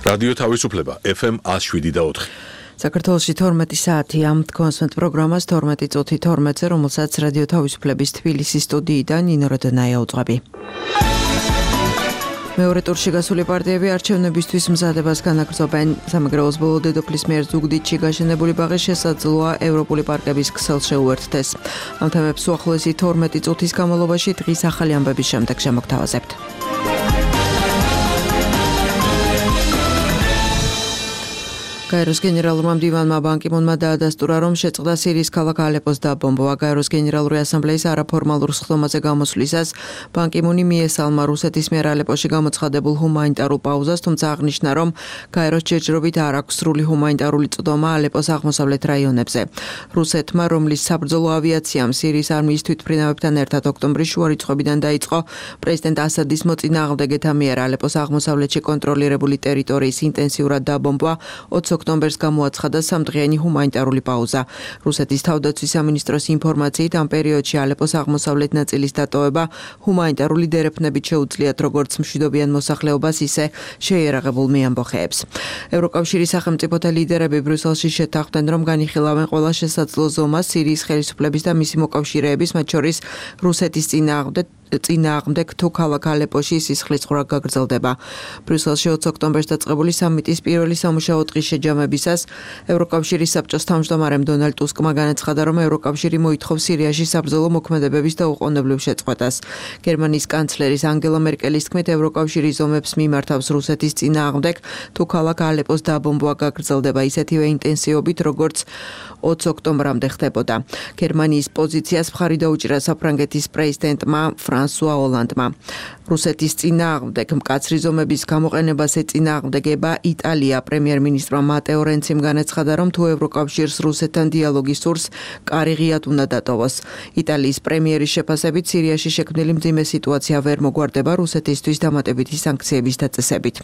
რადიო თავისუფლება FM 107.4. საქართველოში 12 საათი ამ კონსვენტ პროგრამას 12 წუთი 12-ზე, რომელსაც რადიო თავისუფლების თბილისის სტუდიიდან ნინო როდონაია უძღვები. მეორე ტურში გასული პარტიები არჩევნებისთვის მზადებას განაგრძობენ. სამეგრელოს ბოლო დედოფლის მიერ ზუგდიდში გაშენებული ბაღი შესაძლოა ევროპული პარკების ქსელს შეუერთდეს. ამ თემებს უახლოესი 12 წუთის განმავლობაში დღის ახალი ამბების შემდეგ შემოგთავაზებთ. გაეროს გენერალურმა მდივანმა ბან კი მუნმა დაადასტურა, რომ შეწყდა სირიის ქალაქ ალეპოს დაბომბვა. გაეროს გენერალური ასამბლეის არაფორმალურ სხდომაზე გამოსვლისას ბან კი მუნი მიესალმა რუსეთის მიერ ალეპოში გამოცხადებულ ჰუმანიტარულ პაუზას, თუმცა აღნიშნა, რომ გაეროს ჯერჯერობით არ აქვს სრული ჰუმანიტარული წვდომა ალეპოს აღმოსავლეთ რაიონებზე. რუსეთმა, რომლის საბრძოლო ავიაციამ სირიის არმიის თვითმფრინავებთან ერთად ოქტომბრის შუა რიცხვებიდან დაიწყო პრეზიდენტ ასადის მოწინააღმდეგეთა მიერ ალეპოს აღმოსავლეთში კონტროლირებული ტერიტორიის ინტენსიურად დაბომბვა, 20 ოქტომბერს გამოაცხადა სამდღიანი ჰუმანიტარული პაუზა. რუსეთის თავდაცვის სამინისტროს ინფორმაციით, ამ პერიოდში ალეპოს აღმოსავლეთ ნაწილის დატოვება ჰუმანიტარული დერეფნებით შეუძლიათ როგორც მშვიდობიან მოსახლეობას, ისე შეიარაღებულ მეამბოხეებს. ევროკავშირის სახელმწიფოთა ლიდერები ბრიუსელში შეთანხმდნენ, რომ განიხილავენ ყველა შესაძლო ზომას სირიის ხელისუფლების და მისი მოკავშირეების, მათ შორის რუსეთის წინააღმდეგ თუ ქალაქ ალეპოში სისხლის ხრა გაგრძელდება. ბრიუსელში 20 ოქტომბერს დაწყებული სამიტის პირველი სამუშაო დღის შეჯამებისას ევროკავშირის საბჭოს თავმჯდომარემ დონალდ ტუსკმა განაცხადა, რომ ევროკავშირი მოითხოვს სირიაში საბრძოლო მოქმედებების და უყოვნებლივ შეწყვეტას. გერმანიის კანცლერის ანგელა მერკელის თქმით, ევროკავშირი ზომებს მიმართავს რუსეთის წინააღმდეგ თუ ქალაქ ალეპოს დაბომბვა გაგრძელდება ისეთივე ინტენსივობით, როგორც 20 ოქტომბრამდე ხდებოდა. გერმანიის პოზიციას მხარი დაუჭირა საფრანგეთის პრეზიდენტმა ფრანსუა ოლანდმა. რუსეთის წინააღმდეგ მკაცრი ზომების გამოყენებას ეწინააღმდეგება იტალია. პრემიერ-მინისტრმა მატეო რენციმ განაცხადა, რომ თუ ევროკავშირს რუსეთთან დიალოგი სურს, კარი ღიად უნდა დატოვოს. იტალიის პრემიერის შეფასებით, სირიაში შექმნილი მძიმე სიტუაცია ვერ მოგვარდება რუსეთისთვის დამატებითი სანქციების დაწესებით.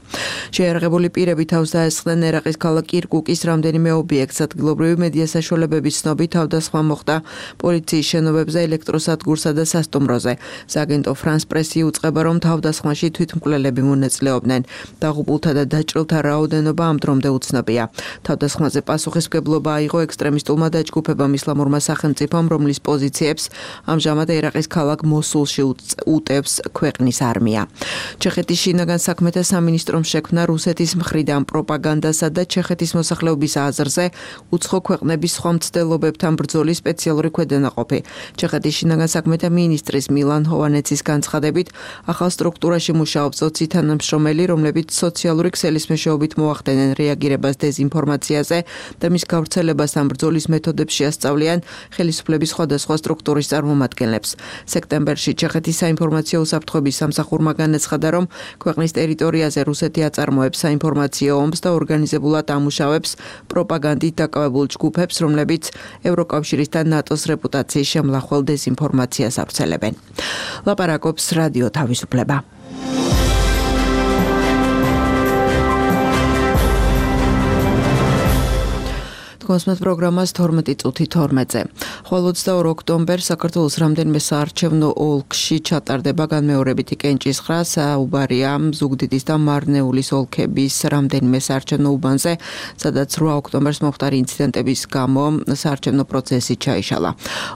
შეიარაღებული პირები თავს დაესხნენ ერაყის ქალაქ კირკუკის რამდენიმე ობიექტს. ადგილობრივი მედია საშუალებების ცნობით თავდასხმა მოხდა პოლიციის შენობებზე, ელექტროსადგურსა და სასტუმროზე. სააგენტო ფრანს პრესი უწყება, რომ თავდასხმაში თვითმკვლელები მონაწილეობდნენ. დაღუპულთა და დაჭრილთა რაოდენობა ამ დრომდე უცნობია. თავდასხმაზე პასუხისმგებლობა აიღო ექსტრემისტულმა დაჯგუფებამ ისლამურმა სახელმწიფომ, რომლის პოზიციებს ამჟამად ერაყის ქალაქ მოსულში უტევს ქვეყნის არმია. ჩეხეთის შინაგან საქმეთა სამინისტრომ შექმნა რუსეთის მხრიდან პროპაგანდასა და ჩეხეთის მოსახლეობის აზრზე უცხო ქვეყნების სხვა მცდელობებთან ბრძოლის სპეციალური ქვედანაყოფი. ჩეხეთის შინაგან საქმეთა მინისტრის მილან ჰოვანეცის განცხადებით, ახალ სტრუქტურაში მუშაობს 20 თანამშრომელი, რომლებიც სოციალური ქსელის მეშვეობით მოახდენენ რეაგირებას დეზინფორმაციაზე და მის გავრცელებას ამ ბრძოლის მეთოდებს შეასწავლიან ხელისუფლების სხვადასხვა სტრუქტურის წარმომადგენლებს. სექტემბერში ჩეხეთის საინფორმაციო უსაფრთხოების სამსახურმა განაცხადა, რომ ქვეყნის ტერიტორიაზე რუსეთი აწარმოებს საინფორმაციო ომს და ორგანიზებულად ამუშავებს პროპაგანდით დაკავებულ ჯგუფებს, რომლებიც ევროკავშირის და ნატოს რეპუტაციის შემლახვალ დეზინფორმაციას ავრცელებენ. ლაპარაკობს რადიო თავისუფლება. კონსვენტ პროგრამას 12 წუთი 12-ზე. ხოლო 22 ოქტომბერს საქართველოს რამდენიმე საარჩევნო ოლქში ჩატარდება განმეორებითი კენჭისყრა. საუბარია ზუგდიდის და მარნეულის ოლქების რამდენიმე საარჩევნო უბანზე, სადაც 8 ოქტომბერს მომხდარი ინციდენტების გამო საარჩევნო პროცესი ჩაიშალა.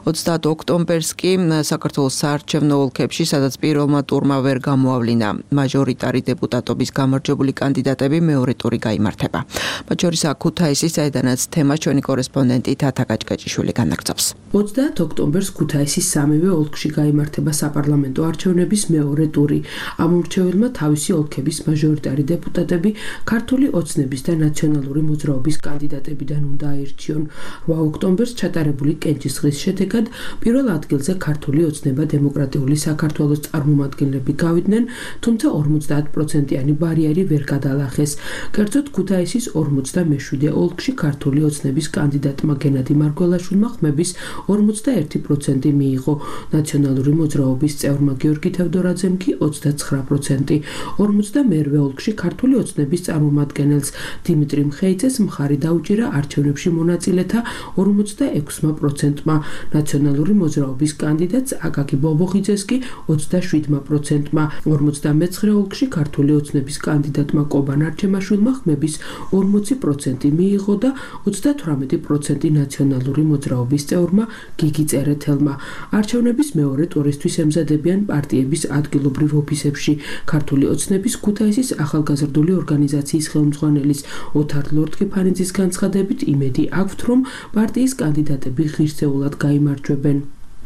30 ოქტომბერს კი საქართველოს საარჩევნო ოლქებში, სადაც პირველმა ტურმა ვერ გამოავლინა მაჟორიტარი დეპუტატობის გამარჯვებული კანდიდატები, მეორე ტური გაიმართება. მათ შორის ქუთაისის, საიდანაც თემა ჩვენი კორესპონდენტი თათა გაჭკაჭიშვილი განაგრძობს. 30 ოქტომბერს ქუთაისის სამივე ოლქში გაიმართება საპარლამენტო არჩევნების მეორე ტური. ამორჩეველმა თავისი ოლქების მაჟორიტარი დეპუტატები ქართული ოცნების და ნაციონალური მოძრაობის კანდიდატებიდან უნდა აირჩიონ. 8 ოქტომბერს ჩატარებული კენჭისყრის შედეგად პირველ ადგილზე ქართული ოცნება დემოკრატიული საქართველოს წარმომადგენლები გავიდნენ, თუმცა 50%-იანი ბარიერი ვერ გადალახეს. კერძოდ ქუთაისის 47 ოლქში ქართული ოცნება ოცნების კანდიდატმა გენადი მარგველაშვილმა ხმების 41% მიიღო. ნაციონალური მოძრაობის წევრმა გიორგი თევდორაძემ კი 29%. 52-ე ოლქში ქართული ოცნების წარმომადგენელს დიმიტრი მხეიძეს მხარი დაუჭირა არჩევნებში მონაწილეთა 46%-მა. ნაციონალური მოძრაობის კანდიდატს აკაკი ბობოხიძეს კი 27%-მა. 59-ე ოლქში ქართული ოცნების კანდიდატმა კობან არჩემაშვილმა ხმების 40% მიიღო და 38% ნაციონალური მოძრაობის წევრმა გიგი წერეთელმა. არჩევნების მეორე ტურისთვის ემზადებიან პარტიების ადგილობრივ ოფისებში. ქართული ოცნების ქუთაისის ახალგაზრდული ორგანიზაციის ხელმძღვანელის ოთარ ლორთქიფანიძის განცხადებით იმედი აქვთ, რომ პარტიის კანდიდატები ღირსეულად გაიმარჯვებენ.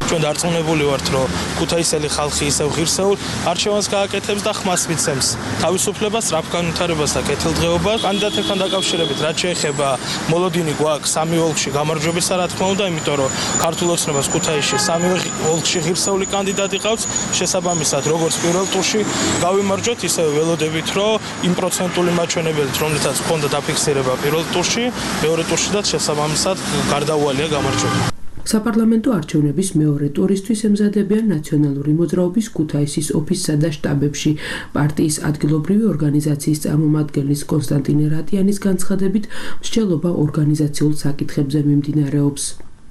ჩვენ დარწმუნებული ვართ, რომ ქუთაისელი ხალხი ისევ ღირსეულ არჩევანს გააკეთებს და ხმას მიცემს თავისუფლებას, სწრაფ განვითარებას და კეთილდღეობას. კანდიდატებთან დაკავშირებით, რაც შეეხება მოლოდინი გვაქვს სამი ოლქში გამარჯვებისა, რა თქმა უნდა, იმიტომ რომ ქართულ ოცნებას ქუთაისში სამი ოლქში ღირსეული კანდიდატი ყავს. შესაბამისად, როგორც პირველ ტურში გავიმარჯვეთ, ისევ ველოდებით, რომ იმ პროცენტული მაჩვენებელით, რომლითაც ჰქონდა დაფიქსირება პირველ ტურში, მეორე ტურშიდაც შესაბამისად გარდაუვალია გამარჯვება. საპარლამენტო არჩევნების მეორე ტურისთვის ემზადებიან ნაციონალური მოძრაობის ქუთაისის ოფისსა და შტაბებში. პარტიის ადგილობრივი ორგანიზაციის წარმომადგენლის კონსტანტინე რატიანის განცხადებით, მსჯელობა ორგანიზაციულ საკითხებზე მიმდინარეობს.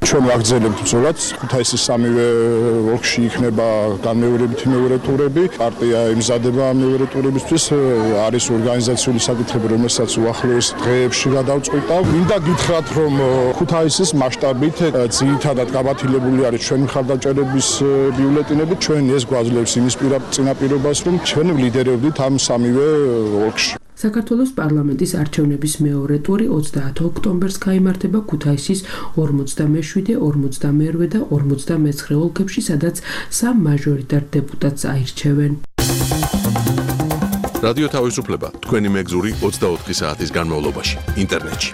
ჩვენ ვაგრძელებთ ბრძოლას. ქუთაისის სამივე ოლქში იქნება განმეორებითი მეორე ტურები. პარტია იმზადება მეორე ტურებისთვის. არის ორგანიზაციული საკითხები, რომელსაც უახლოეს დღეებში გადავწყვიტა. მინდა გითხრათ, რომ ქუთაისის მასშტაბით ძირითადად გაბათილებული არის ჩვენი მხარდაჭერების ბიულეტინები. ჩვენ ეს გვაძლევს იმის წინაპირობას, რომ ჩვენ ვლიდერებდით ამ სამივე ოლქში. საქართველოს პარლამენტის არჩევნების მეორე ტური 30 ოქტომბერს გაიმართება ქუთაისის 47, 42 და 49 ოლქებში, სადაც 3 მაჟორიტარ დეპუტატს აირჩევენ. რადიო თავისუფლება თქვენი მეგზური 24 საათის განმავლობაში ინტერნეტში.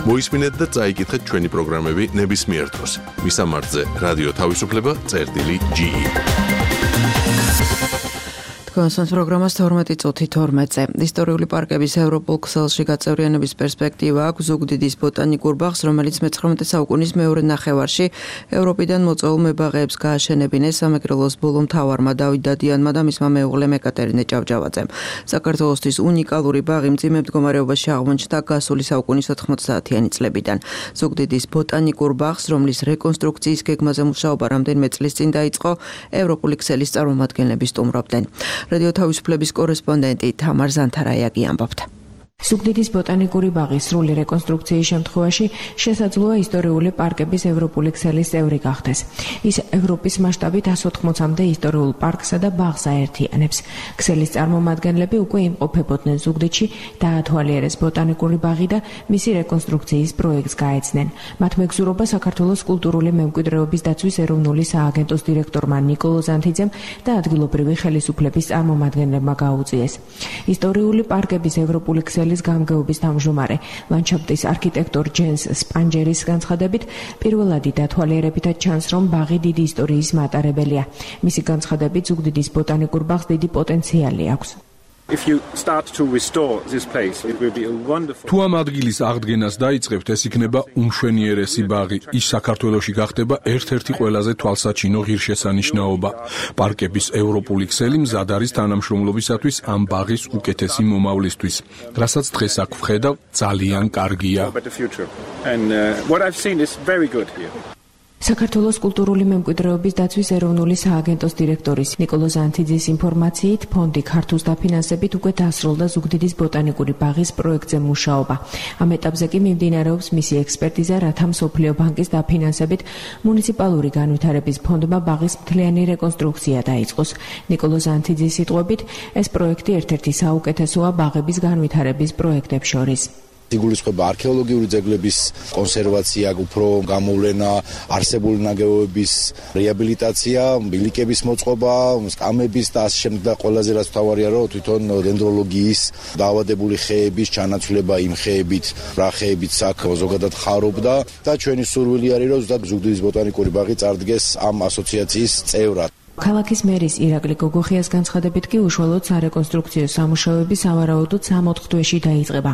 მოისმინეთ და წაიკითხეთ ჩვენი პროგრამები ნებისმიერ დროს. მისამართზე რადიო თავისუფლება.ge. კონსენს პროგრამას 12:12-ზე. ისტორიული პარკების ევროპულ ქსელში გაწევრიანების პერსპექტივა აქვს ზუგდიდის ბოტანიკურ ბაღს, რომელიც მე-19 საუკუნის მეორე ნახევარში ევროპიდან მოწვეულ მებაღეებს გააშენებინეს სამეგრელოს ბოლო მთავარმა დავით დადიანმა და მისმა მეუღლემ ეკატერინე ჭავჭავაძემ. საქართველოსთვის უნიკალური ბაღი მძიმე მდგომარეობაში აღმოჩნდა გასული საუკუნის 90-იანი წლებიდან. ზუგდიდის ბოტანიკურ ბაღს, რომლის რეკონსტრუქციის გეგმაზე მუშაობა რამდენიმე წლის წინ დაიწყო, ევროპული ქსელის წარმომადგენლები სტუმრობდნენ. რადიო თავისუფლების კორესპონდენტი თამარ ზანთარაიაგი ამბობდა. ზუგდიდის ბოტანიკური ბაღის სრული რეკონსტრუქციის შემთხვევაში შესაძლოა ისტორიული პარკების ევროპული ქსელის წევრი გახდეს. ის ევროპის მასშტაბით 180-მდე ისტორიულ პარკსა და ბაღს აერთიანებს. ქსელის წარმომადგენლები უკვე იმყოფებოდნენ ზუგდიდში, დაათვალიერეს ბოტანიკური ბაღი და მისი რეკონსტრუქციის პროექტს გაეცნენ. მათ მეგზურობა საქართველოს კულტურული მემკვიდრეობის დაცვის ეროვნული სააგენტოს დირექტორმა ნიკოლო ზანთიძემ და ადგილობრივი ხელისუფლების წარმომადგენლებმა გაუწიეს. ისტორიული პარკების ევროპული ქსელი გამგეობის თავმჯდომარე ლანდშაფტის არქიტექტორ ჯენს სპანჯერის განცხადებით, პირველადი დათვალიერებითაც ჩანს, რომ ბაღი დიდი ისტორიის მატარებელია. მისი განცხადებით, ზუგდიდის ბოტანიკურ ბაღს დიდი პოტენციალი აქვს. თუ ამ ადგილის აღდგენას დაიწყებთ, ეს იქნება უმშვენიერესი ბაღი. ის საქართველოში გახდება ერთ-ერთი ყველაზე თვალსაჩინო ღირსშესანიშნაობა. პარკების ევროპული ქსელი მზად არის თანამშრომლობისათვის ამ ბაღის უკეთესი მომავლისთვის. რასაც დღეს აქ ვხედავ, ძალიან კარგია. საქართველოს კულტურული მემკვიდრეობის დაცვის ეროვნული სააგენტოს დირექტორის ნიკოლო ზანთიძის ინფორმაციით, ფონდი ქართულს დაფინანსებით უკვე დასრულდა ზუგდიდის ბოტანიკური ბაღის პროექტზე მუშაობა. ამ ეტაპზე კი მიმდინარეობს მისი ექსპერტიზა, რათა მსოფლიო ბანკის დაფინანსებით მუნიციპალური განვითარების ფონდმა ბაღის მთლიანი რეკონსტრუქცია დაიწყოს. ნიკოლო ზანთიძის სიტყვებით, ეს პროექტი ერთ-ერთი საუკეთესოა ბაღების განვითარების პროექტებს შორის. იგულისხმება არქეოლოგიური ძეგლების კონსერვაცია, უფრო გამოვლენა, არსებული ნაგებობების რეაბილიტაცია, ბილიკების მოწყობა, სკამების და ასე შემდეგ და ყველაზე რაც მთავარია, რომ თვითონ დენდროლოგიის დაავადებული ხეების ჩანაცვლება იმ ხეებით, რა ხეებიც აქ ზოგადად ხარობდა და ჩვენი სურვილი არის, რომ ზუგდიდის ბოტანიკური ბაღი წარდგეს ამ ასოციაციის წევრად. ქალაქის მერის ირაკლი გოგოხიას განცხადებით კი უშუალოდ სარეკონსტრუქციო სამუშაოები სავარაუდოდ 3-4 თვეში დაიწყება.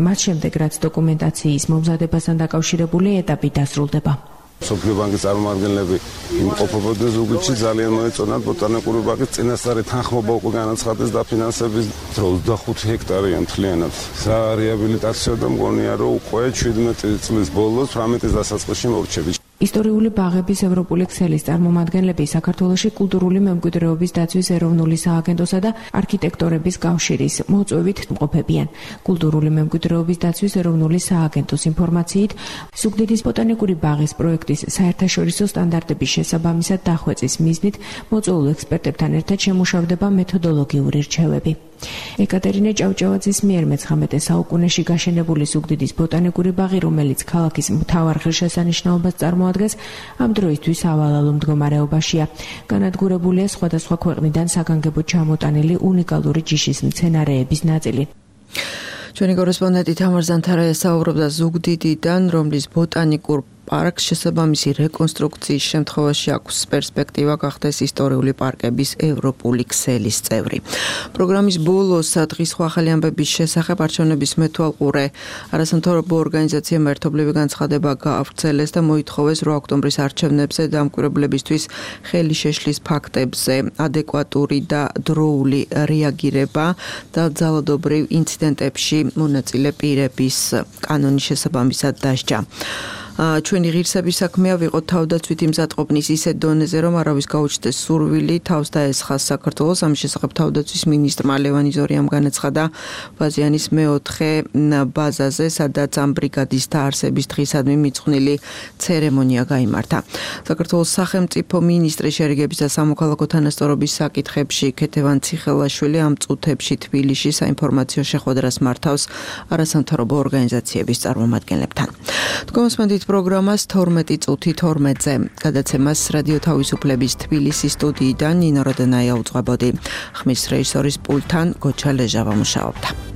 მას შემდეგ რაც დოკუმენტაციის მომზადებასთან დაკავშირებული ეტაპი დასრულდება. სოფლიო ბანკის წარმომადგენლები იმყოფებოდნენ ზუგდიდში, ძალიან მოეწონათ ბოტანიკური ბაღის წინასწარი თანხმობა უკვე განაცხადეს დაფინანსების დრო 25 ჰექტარია მთლიანად. სარეაბილიტაციო და მგონია რომ უკვე 17 წლის ბოლოს 18-ის დასაწყისში მორჩები. ისტორიული ბაღების ევროპული ქსელის წარმომადგენლები საქართველოში კულტურული მემკვიდრეობის დაცვის ეროვნული სააგენტოსა და არქიტექტორების კავშირის მოწვევით მყოფებიან. კულტურული მემკვიდრეობის დაცვის ეროვნული სააგენტოს ინფორმაციით, ზუგდიდის ბოტანიკური ბაღის პროექტის საერთაშორისო სტანდარტების შესაბამისად დახვეწის მიზნით მოწვეულ ექსპერტებთან ერთად შემუშავდება მეთოდოლოგიური რჩევები. ეკატერინე ჭავჭავაძის მიერ მე-19 საუკუნეში გაშენებული ზუგდიდის ბოტანიკური ბაღი, რომელიც ქალაქის მთავარ ღირსშესანიშნაობას წარმოადგენს, ამ დროისთვის ავალალო მდგომარეობაშია. განადგურებულია სხვადასხვა ქვეყნიდან საგანგებოდ ჩამოტანილი უნიკალური ჯიშის მცენარეების ნაწილი. ჩვენი კორესპონდენტი თამარ ზანთარაია საუბრობდა ზუგდიდიდან, რომლის ბოტანიკურ პარკს შესაბამისი რეკონსტრუქციის შემთხვევაში აქვს პერსპექტივა გახდეს ისტორიული პარკების ევროპული ქსელის წევრი. პროგრამის ბოლოს დღის ახალი ამბების შესახებ არჩევნების მეთვალყურე არასამთავრობო ორგანიზაციამ ერთობლივი განცხადება გაავრცელეს და მოითხოვეს 8 ოქტომბრის არჩევნებზე დამკვირვებლებისთვის ხელი შეშლის ფაქტებზე ადეკვატური და დროული რეაგირება და ძალადობრივ ინციდენტებში მონაწილე პირების კანონის შესაბამისად დასჯა. ჩვენი ღირსების საქმეა ვიყოთ თავდაცვით იმზადყოფნის ისეთ დონეზე, რომ არავის გაუჩნდეს სურვილი თავს დაესხას საქართველოს. ამის შესახებ თავდაცვის მინისტრმა ლევან იზორიამ განაცხადა ბაზიანის მეოთხე ბაზაზე, სადაც ამ ბრიგადის დაარსების დღისადმი მიძღვნილი ცერემონია გაიმართა. საქართველოს სახელმწიფო მინისტრის შერიგების და სამოქალაქო თანასწორობის საკითხებში ქეთევან ციხელაშვილი ამ წუთებში თბილისში საინფორმაციო შეხვედრას მართავს არასამთავრობო ორგანიზაციების წარმომადგენლებთან. თქვენს პროგრამას 12 წუთი 12-ზე გადაცემას რადიო თავისუფლების თბილისის სტუდიიდან ნინო როდენაია უძღვებოდი. ხმის რეჟისორის პულტთან გოჩა ლეჟავა მუშაობდა.